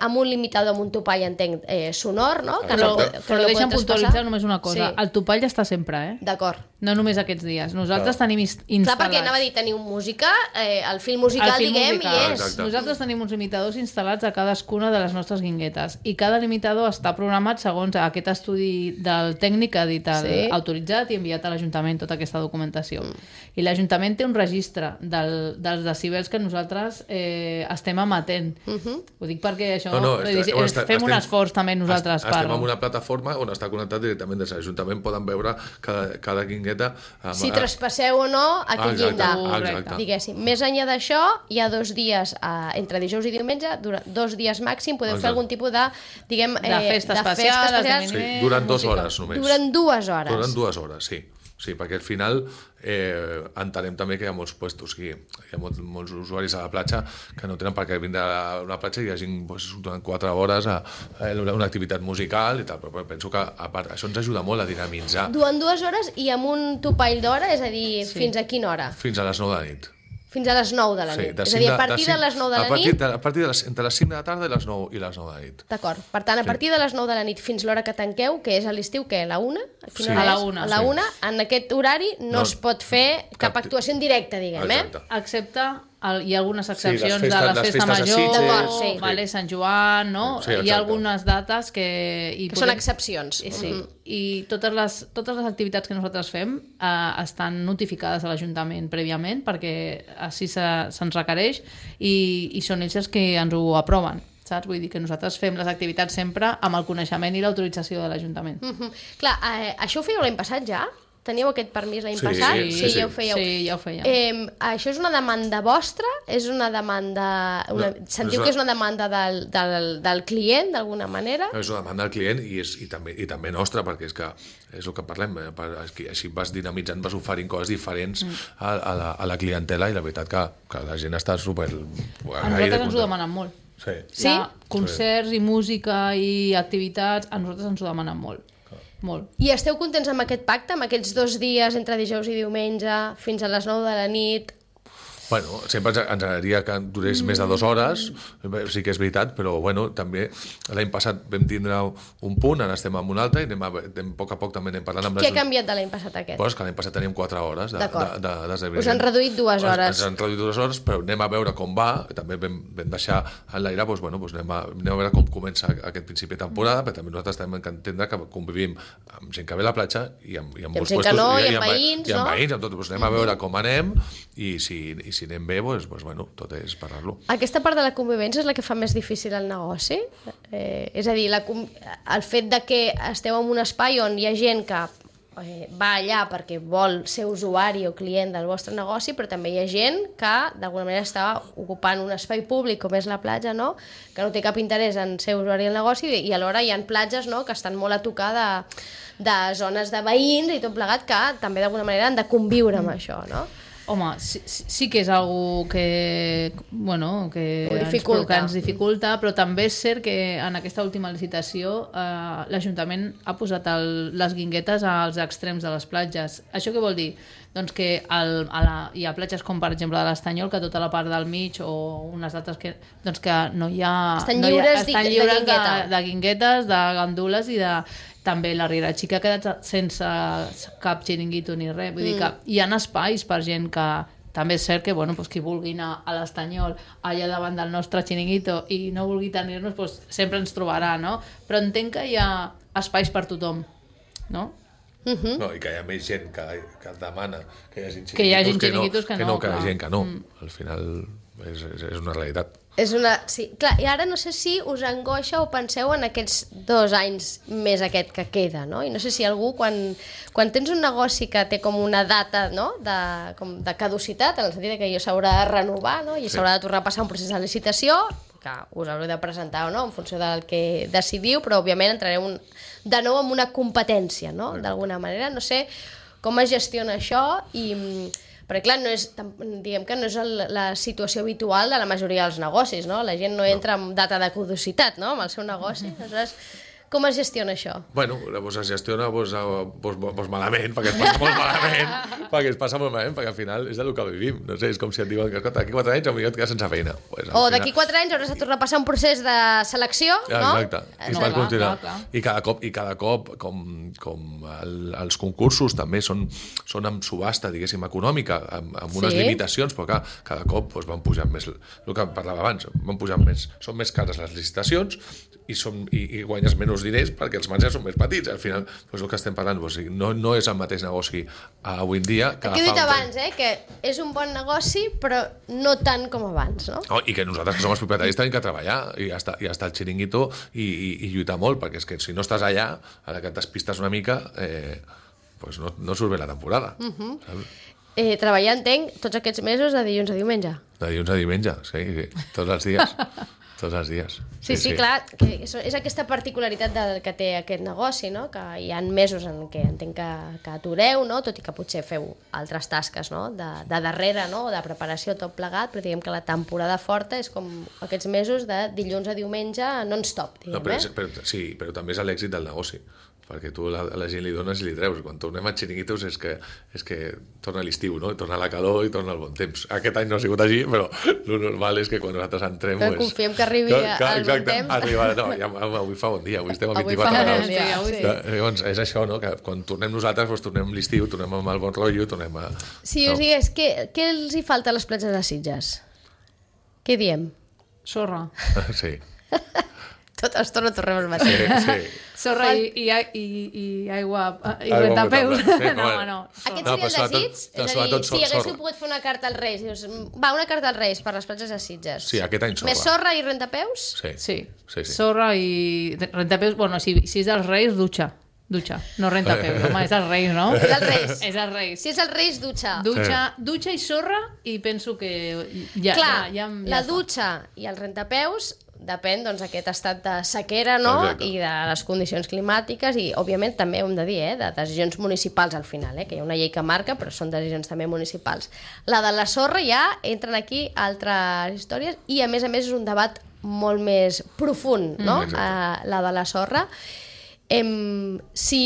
amb un limitador, amb un topall, entenc, sonor, no? Però deixa'm puntualitzar només una cosa. Sí. El topall està sempre, D'acord. No només aquests dies. Nosaltres tenim instal·lats... Clar, perquè anava a dir, teniu música, el fil musical, diguem, i és. Exacte. Nosaltres tenim uns limitadors instal·lats a cadascuna de les nostres guinguetes i cada limitador està programat segons aquest estudi del tècnic que ha dit autoritzat i enviat a l'Ajuntament tota aquesta documentació. I l'Ajuntament té un registre dels decibels que nosaltres estem emetent. Ho dic perquè això... fem un esforç també nosaltres. Estem en una plataforma on està connectat directament des de l'Ajuntament, poden veure cada guingueta. Si traspasseu o no aquest llindar. Diguéssim. Més enllà d'això, hi ha 2 dies, entre dijous i diumenge, 2 dies màxim, podeu fer algun tipus de, diguem... de festa especial. Sí, durant 2 hores només. Durant 2 hores. Durant 2 hores, sí. Sí, perquè al final entenem també que hi ha molts puestos, hi ha molts usuaris a la platja que no tenen per què vindre a una platja i hi hagi durant 4 hores una activitat musical i tal, però penso que a part, això ens ajuda molt a dinamitzar. Durant 2 hores i amb un topall d'hora, és a dir, fins a quina hora? Fins a les 9 de la nit. Fins a les 9 de la nit. És a dir, a partir de les 9 de la nit... A partir de entre les 5 de la tarda i les 9 de la nit. D'acord. Per tant, a partir de les 9 de la nit fins l'hora que tanqueu, que és a l'estiu, que a la 1? Sí. A la 1. A la 1, en aquest horari no es pot fer cap actuació en directe, diguem, Excepte hi ha algunes excepcions de les festa major, Sitges. Sant Joan, no? Hi ha algunes dates que són excepcions. Sí. I totes les activitats que nosaltres fem estan notificades a l'Ajuntament prèviament perquè així se'ns requereix i són ells els que ens ho aproven. Saps? Vull dir que nosaltres fem les activitats sempre amb el coneixement i l'autorització de l'Ajuntament. Clar, això ho fèieu l'any passat ja? Teníeu aquest permís l'any passat? Sí, ja ho fèieu. Sí, ja ho fèiem. Això és una demanda vostra? És una demanda... Sentiu que és una demanda del client, d'alguna manera? És una demanda del client i també nostra, perquè és que és el que parlem, així vas dinamitzant, vas oferint coses diferents a la clientela i la veritat que la gent està super... A nosaltres ens ho demanen molt. Sí? Concerts i música i activitats, a nosaltres ens ho demanen molt. Molt. I esteu contents amb aquest pacte, amb aquests 2 dies entre dijous i diumenge, fins a les 9 de la nit? Bueno, sempre ens agradaria que durés més de 2 hores, sí que és veritat, però bueno, també l'any passat vam tindre un punt, ara estem en un altre i a poc a poc també anem parlant amb Què ha canviat de l'any passat aquest? Pues que l'any passat teníem 4 hores d'esdeveniment. Us han reduït 2 hores. Ens han reduït 2 hores, però anem a veure com va, també vam deixar en l'aire, doncs, bueno, anem a veure com comença aquest principi de temporada, però també nosaltres tenim que entendre que convivim amb gent que ve a la platja i amb molts puestos, i amb veïns, i amb veïns, amb tot, doncs anem a veure com anem i si anem bé, doncs, bueno, tot és parlar-lo. Aquesta part de la convivència és la que fa més difícil el negoci? És a dir, el fet de que esteu en un espai on hi ha gent que va allà perquè vol ser usuari o client del vostre negoci, però també hi ha gent que d'alguna manera està ocupant un espai públic com és la platja, no? Que no té cap interès en ser usuari del negoci i alhora hi ha platges, no? Que estan molt a tocar de zones de veïns i tot plegat que també d'alguna manera han de conviure amb això, no? Home, sí que és algo que ens dificulta, però també és cert que en aquesta última licitació l'Ajuntament ha posat les guinguetes als extrems de les platges. Això què vol dir? Doncs que hi ha platges com per exemple de l'Estanyol, que tota la part del mig o unes altres que no hi ha... Estan lliures de guinguetes, de gandules i de... També la Riera Xica ha quedat sense cap xiringuito ni res. Vull dir que hi ha espais per gent que... També és cert que qui vulgui anar a l'Estanyol allà davant del nostre xiringuito i no vulgui tenir-nos, sempre ens trobarà, no? Però entenc que hi ha espais per tothom, no? No, i que hi ha més gent que demana que hi hagi xiringuitos que no. Que hi ha gent que no. Al final és una realitat. Sí, clar, i ara no sé si us angoixa o penseu en aquests 2 anys més aquest que queda, no? I no sé si algú, quan tens un negoci que té com una data, no? de caducitat, en el sentit que s'haurà de renovar, no? I s'haurà de tornar a passar un procés de licitació, que us haureu de presentar o no, en funció del que decidiu, però òbviament entrareu de nou en una competència, no? D'alguna manera. No sé com es gestiona això i... Perquè, clar, diguem que no és la situació habitual de la majoria dels negocis, no? La gent no entra amb data de caducitat, no?, amb el seu negoci. Aleshores, com es gestiona això? Bueno, doncs es gestiona malament, perquè es passa molt malament, perquè al final és del que vivim. No sé, és com si et diuen que d'aquí 4 anys potser et quedes sense feina. O d'aquí 4 anys hauràs de tornar a passar un procés de selecció, no? Exacte. I per continuar. I cada cop, com els concursos també són amb subhasta, diguéssim, econòmica, amb unes limitacions, però clar, cada cop van pujant més, el que parlava abans, van pujant més, són més cares les licitacions i guanyes menys diners perquè els marges són més petits. Al final, el que estem parlant, no és el mateix negoci avui en dia que aquí he dit abans, que és un bon negoci, però no tant com abans, no? I que nosaltres, que som els propietaris, tenim que treballar i estar al xiringuito i lluitar molt, perquè és que si no estàs allà, a la que t'espistes una mica, no surt bé la temporada. Treballar, entenc, tots aquests mesos de dilluns a diumenge. De dilluns a diumenge, sí, tots els dies. Tots els dies. Sí, clar, que és aquesta particularitat que té aquest negoci, no? Que hi ha mesos en què entenc que atureu, no? Tot i que potser feu altres tasques, no? De darrere, no? De preparació, tot plegat, però diguem que la temporada forta és com aquests mesos de dilluns a diumenge non-stop, diguem, Sí, però també és l'èxit del negoci, perquè tu a la gent li dones i li treus. Quan tornem a xiringuitos és que torna l'estiu, no? Torna la calor i torna el bon temps. Aquest any no ha sigut així, però el normal és que quan nosaltres entrem... Però confiem que arribi el bon temps. Avui fa bon dia, avui estem a 24 graus. Llavors, és això, no? Que quan tornem nosaltres, tornem l'estiu, tornem amb el bon rotllo, tornem a... Si us digués, què els hi falta a les platges de Sitges? Què diem? Sorra. Sí. Tota estona tornem al mateix. Sí. Sorra i aigua i rentapeus. No. Aquest seria el desig? És a dir, si haguéssiu pogut fer una carta als Reis, dius, una carta als Reis per les platges de Sitges. Sí, aquest any sorra. Més sorra i rentapeus? Sí. Sorra i rentapeus, bueno, si és dels Reis, dutxa, no rentapeus, home, és dels Reis, no? És dels Reis. És dels Reis. Si és els Reis, dutxa. Dutxa i sorra, i penso que ja... Clar, la dutxa i els rentapeus depèn d'aquest estat de sequera, no? Exacte. I de les condicions climàtiques i, òbviament, també ho hem de dir, de decisions municipals al final, que hi ha una llei que marca, però són decisions també municipals. La de la sorra ja entren aquí altres històries i, a més, és un debat molt més profund, no? La de la sorra. Si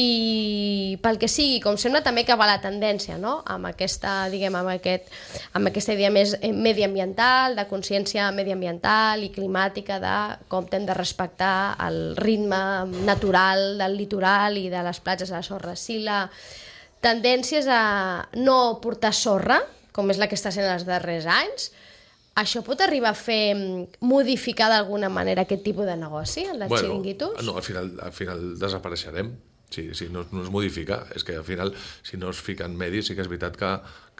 pel que sigui, com sembla també que va la tendència, no? Amb aquesta, diguem, amb aquesta idea més mediambiental, de consciència mediambiental i climàtica, de com hem de respectar el ritme natural del litoral i de les platges de la sorra. Si la tendència és a no portar sorra, com és la que està sent els darrers anys, això pot arribar a fer modificar d'alguna manera aquest tipus de negoci, el dels xiringuitos? No, al final desapareixerem. Si no es modifica, és que al final, si no es fiquen medis, sí que és veritat que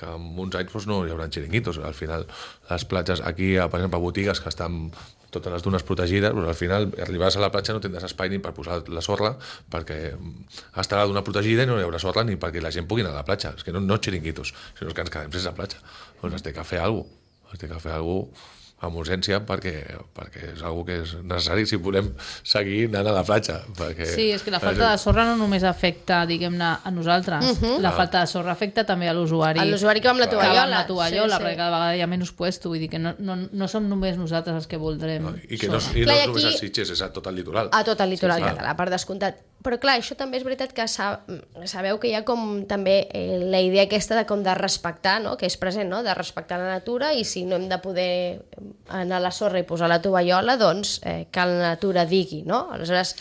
en uns anys no hi haurà xiringuitos. Al final, les platges, aquí, per exemple, botigues que estan totes les dunes protegides, al final arribaràs a la platja no tindràs espai ni per posar la sorra, perquè estarà la duna protegida i no hi haurà sorra ni perquè la gent pugui anar a la platja. És que no xiringuitos, sinó que ens quedem sense la platja. Doncs es té que fer alguna cosa. Es té que fer alguna cosa amb urgència perquè és una que és necessari si volem seguir anant a la platja. Sí, és que la falta de sorra no només afecta, diguem-ne, a nosaltres. La falta de sorra afecta també a l'usuari. A l'usuari que va amb la tovallola. Perquè cada vegada hi ha menys puesto. Vull dir que no som només nosaltres els que voldrem. I no és només a Sitges, és a tot el litoral. A tot el litoral català, per descomptat. Però clar, això també és veritat que sabeu que hi ha com també la idea aquesta de com de respectar, no? Que és present, no? De respectar la natura, i si no hem de poder anar a la sorra i posar la tovallola, doncs que la natura digui, no? Aleshores,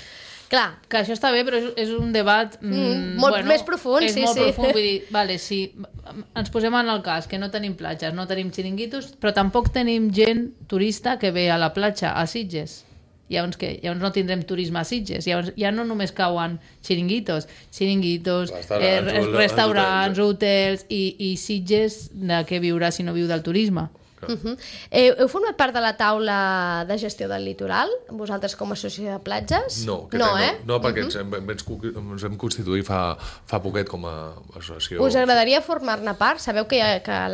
clar... Que això està bé, però és un debat... més profund, sí. És molt profund, vull dir, vale, si ens posem en el cas que no tenim platges, no tenim xiringuitos, però tampoc tenim gent turista que ve a la platja, a Sitges. Llavors no tindrem turisme a Sitges. Llavors ja no només cauen xiringuitos, restaurants, hotels i Sitges de què viurà si no viu del turisme. Heu format part de la taula de gestió del litoral, vosaltres com a associació de platges? No, perquè ens vam constituir fa poquet com a associació. Us agradaria formar-ne part? Sabeu que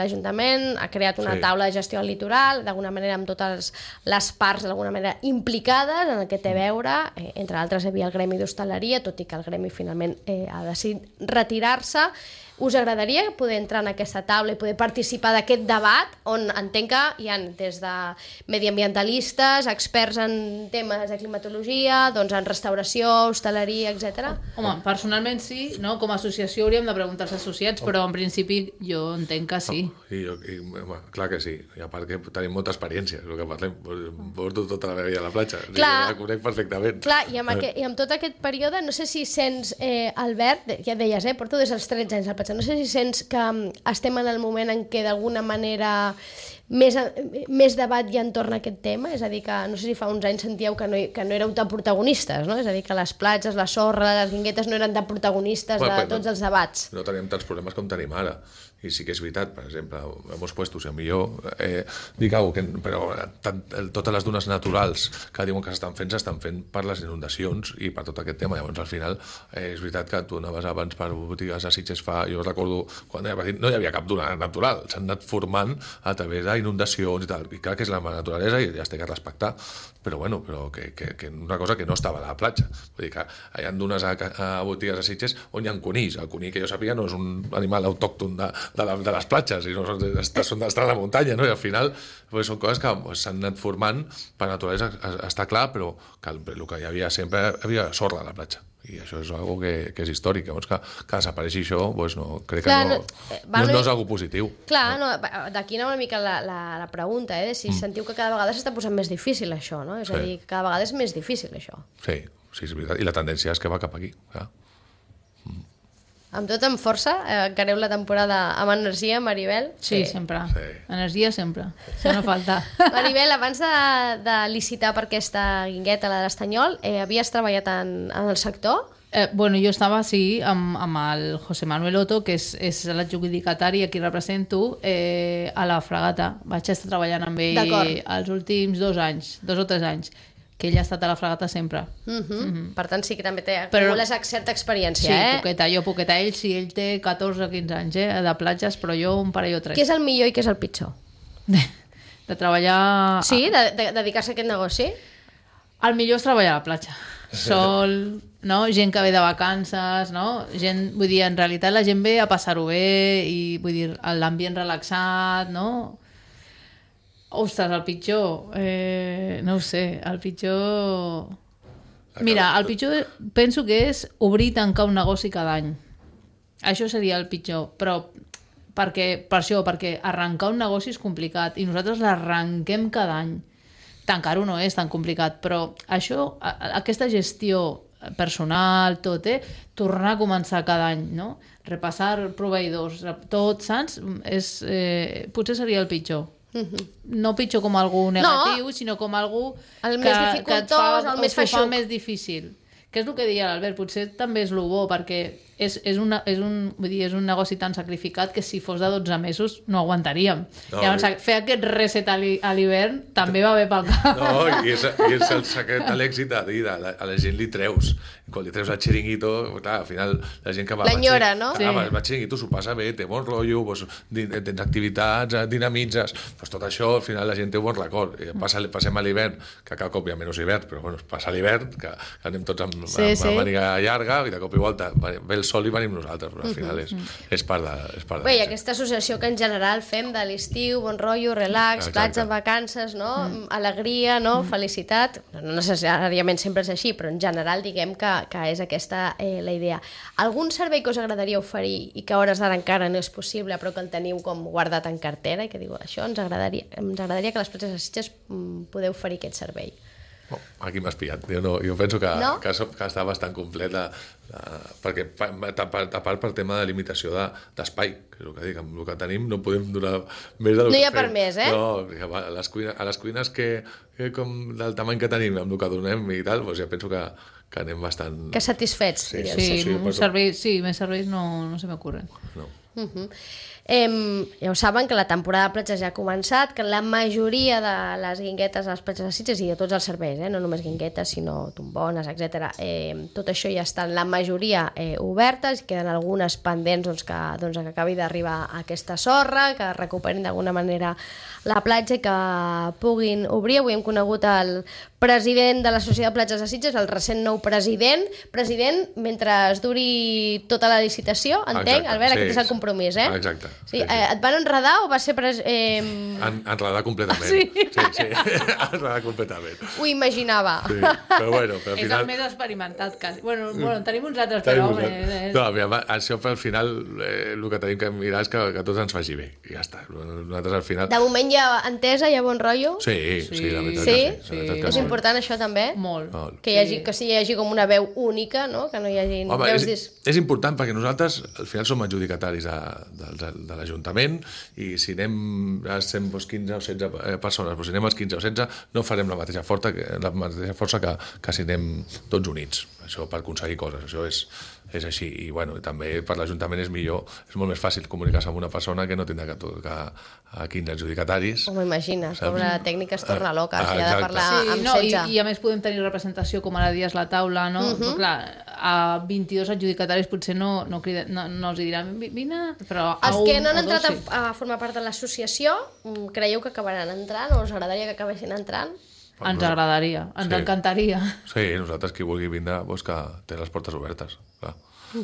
l'Ajuntament ha creat una taula de gestió del litoral, d'alguna manera amb totes les parts d'alguna manera implicades en el que té a veure, entre altres hi havia el gremi d'hostaleria, tot i que el gremi finalment ha decidit retirar-se. Us agradaria poder entrar en aquesta taula i poder participar d'aquest debat on entenc que hi ha des de mediambientalistes, experts en temes de climatologia, doncs en restauració, hostaleria, etc. Home, personalment sí, no? Com a associació hauríem de preguntar als associats, però en principi jo entenc que sí. Clar que sí, i a part que tenim molta experiència, és el que parlem, porto tota la meva vida a la platja, Clar. la conec perfectament. Clar, i amb tot aquest període, no sé si sents, Albert, ja et deies, porto des dels 13 anys al platja, no sé si sents que estem en el moment en què d'alguna manera més debat hi ha entorn a aquest tema, és a dir, que no sé si fa uns anys sentíeu que no éreu tan protagonistes, no? És a dir, que les platges, la sorra, les guinguetes no eren tan protagonistes de tots els debats. No teníem tants problemes com tenim ara. I sí que és veritat, per exemple, hemos puesto, si a millor dic alguna cosa, però totes les dunes naturals que diuen que s'estan fent per les inundacions i per tot aquest tema. Llavors, al final, és veritat que tu anaves abans per botigues a Sitges jo recordo, quan no hi havia cap duna natural, s'han anat formant a través d'inundacions i tal, i clar que és la naturalesa i ja es té que respectar, però que una cosa que no estava a la platja. Vull dir que hi ha dunes a botigues a Sitges on hi ha conills. El conill, que jo sàpiga, no és un animal autòcton de les platges, i no estan a la muntanya, no? I al final són coses que s'han anat formant per naturalesa, està clar, però que el que hi havia sempre hi havia sorra a la platja, i això és algo que és històric. Llavors, que desapareixi això, crec que no és algo positiu. Clar, d'aquí anava una mica la pregunta, de si sentiu que cada vegada s'està posant més difícil això, no? És a dir, que cada vegada és més difícil això. Sí, és veritat, i la tendència és que va cap aquí, clar. Amb tot, amb força, encareu la temporada amb energia, Maribel? Sí, sempre. Sí. Energia sempre. Això no falta. Maribel, abans de licitar per aquesta guingueta, la de l'Estanyol, havies treballat en el sector? Jo estava, sí, amb el José Manuel Otto, que és l'adjudicatari a qui represento, a la Fragata. Vaig estar treballant amb ell els últims 2 o 3 anys, que ell ha estat a la Fragata sempre. Per tant, sí que també acumules certa experiència, Sí, poqueta. Ell sí, ell té 14 o 15 anys de platges, però jo un parell o 3. Què és el millor i què és el pitjor? De treballar... Sí, de dedicar-se a aquest negoci? El millor és treballar a la platja. Sol, no? Gent que ve de vacances, no? Vull dir, en realitat la gent ve a passar-ho bé i, vull dir, l'ambient relaxat, no? Ostres, el pitjor... no ho sé, el pitjor... Mira, el pitjor penso que és obrir i tancar un negoci cada any. Això seria el pitjor, però perquè arrencar un negoci és complicat i nosaltres l'arrenquem cada any. Tancar-ho no és tan complicat, però això, aquesta gestió personal, tot, tornar a començar cada any, no? Repassar proveïdors, tot, saps? Potser seria el pitjor. No pitjor com algú negatiu, sinó com algú que et fa més difícil. Que és el que deia l'Albert, potser també és el bo, perquè és un negoci tan sacrificat que si fos de 12 mesos no aguantaríem. Llavors, fer aquest reset a l'hivern també va bé pel cap. No, i és el secret de l'èxit, a la gent li treus. Quan li treus el xiringuito, clar, al final la gent que va... L'enyora, no? Va xiringuito, s'ho passa bé, té bon rotllo, tens activitats, dinamitzes, tot això al final la gent té un bon record. Passem a l'hivern, que cada cop hi ha menys hivern, però passa l'hivern, que anem tots amb màniga llarga, i de cop i volta ve el sol i venim nosaltres, però al final és part de... Bé, i aquesta associació que en general fem de l'estiu, bon rotllo, relax, platja, vacances, no? Alegria, no? Felicitat. No necessàriament sempre és així, però en general diguem que és aquesta la idea. Algun servei que us agradaria oferir i que a hores d'ara encara no és possible, però que el teniu com guardat en cartera i que diu, això ens agradaria que les platges de Sitges podeu oferir aquest servei? Aquí m'has pillat. Jo penso que està bastant completa, perquè a part per tema de limitació d'espai, que és el que dic, amb el que tenim no podem donar més del que fem. No hi ha per més, No, a les cuines que com del tamany que tenim, amb el que donem i tal, ja penso que anem bastant... Que satisfets. Sí, més serveis no se m'ocorren. No. Ja ho saben que la temporada de platges ja ha començat, que la majoria de les guinguetes a les platges de Sitges i de tots els serveis, no només guinguetes, sinó tombones, etc. Tot això ja estan la majoria obertes, queden algunes pendents que acabi d'arribar aquesta sorra, que recuperin d'alguna manera la platja i que puguin obrir. Avui hem conegut el president de l'Associació de Platges de Sitges, el recent nou president, mentre es duri tota la licitació, entenc? Albert, aquest és el compromís, Exacte. Sí. Et van enredar o va ser... Enredar completament. Sí. Sí. Enredar completament. Ho imaginava. Sí. Però bueno, al final... És el més experimentat, quasi. Bueno, tenim uns altres, però... No, mira, això al final el que tenim que mirar és que tots ens faci bé. I ja està. Nosaltres al final... De moment hi ha entesa, hi ha bon rotllo? Sí, la veritat sí? que sí. És important això també? Molt. Que hi hagi com una veu única, no? Que no hi hagi veus... És important perquè nosaltres al final som adjudicataris de l'Ajuntament i si anem a 15 o 16 persones, però si anem als 15 o 16 no farem la mateixa força que si anem tots units. Això per aconseguir coses, això és així. I bueno, també per l'Ajuntament és millor, és molt més fàcil comunicar-se amb una persona que no tindrà que a 15 adjudicataris. Com imagines, la tècnica es torna loca, si ha de parlar amb 16. I a més podem tenir representació com ara dies la taula, no? Però clar, a 22 adjudicataris potser no els diran vine, però a els un que no han o dos entrat a formar part de l'associació, creieu que acabaran entrant o us agradaria que acabessin entrant? Ens agradaria, ens encantaria. Sí, nosaltres qui vulgui vindre que té les portes obertes, clar.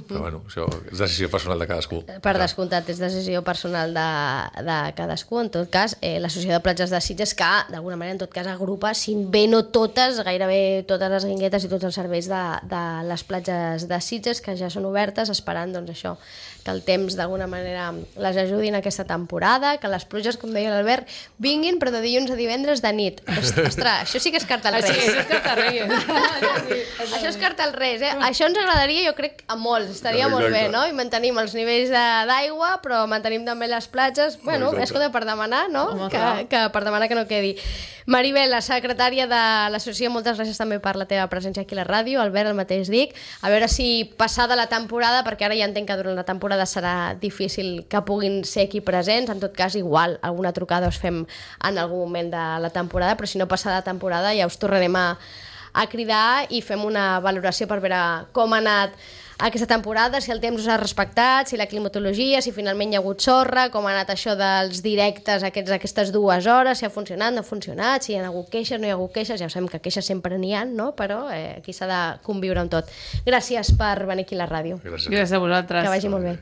Però bueno, això és decisió personal de cadascú. Per descomptat, és decisió personal de cadascú. En tot cas, l'Associació de Platges de Sitges, que d'alguna manera en tot cas agrupa, si bé no totes, gairebé totes les guinguetes i tots els serveis de les platges de Sitges, que ja són obertes, esperant doncs això, que el temps d'alguna manera les ajudin aquesta temporada, que les pluges, com deia l'Albert, vinguin, però de dilluns a divendres de nit. Ostres, això sí que és carta als Reis. Això és carta als Reis. Això és carta als Reis, Això ens agradaria, jo crec, a molts. Estaria molt bé, no? I mantenim els nivells d'aigua, però mantenim també les platges. Bueno, escolta, per demanar, no? Per demanar que no quedi. Maribel, la secretària de l'associació, moltes gràcies també per la teva presència aquí a la ràdio. Albert, el mateix dic. A veure si passada la temporada, perquè ara ja entenc que durant la temporada serà difícil que puguin ser aquí presents, en tot cas igual alguna trucada us fem en algun moment de la temporada, però si no passada la temporada ja us tornarem a cridar i fem una valoració per veure com ha anat aquesta temporada, si el temps us ha respectat, si la climatologia, si finalment hi ha hagut sorra, com ha anat això dels directes aquestes 2 hores, si ha funcionat, no ha funcionat, si hi ha hagut queixes, no hi ha hagut queixes, ja ho sabem que queixes sempre n'hi ha, no? Però aquí s'ha de conviure amb tot. Gràcies per venir aquí a la ràdio. Gràcies a vosaltres. Que vagi molt bé.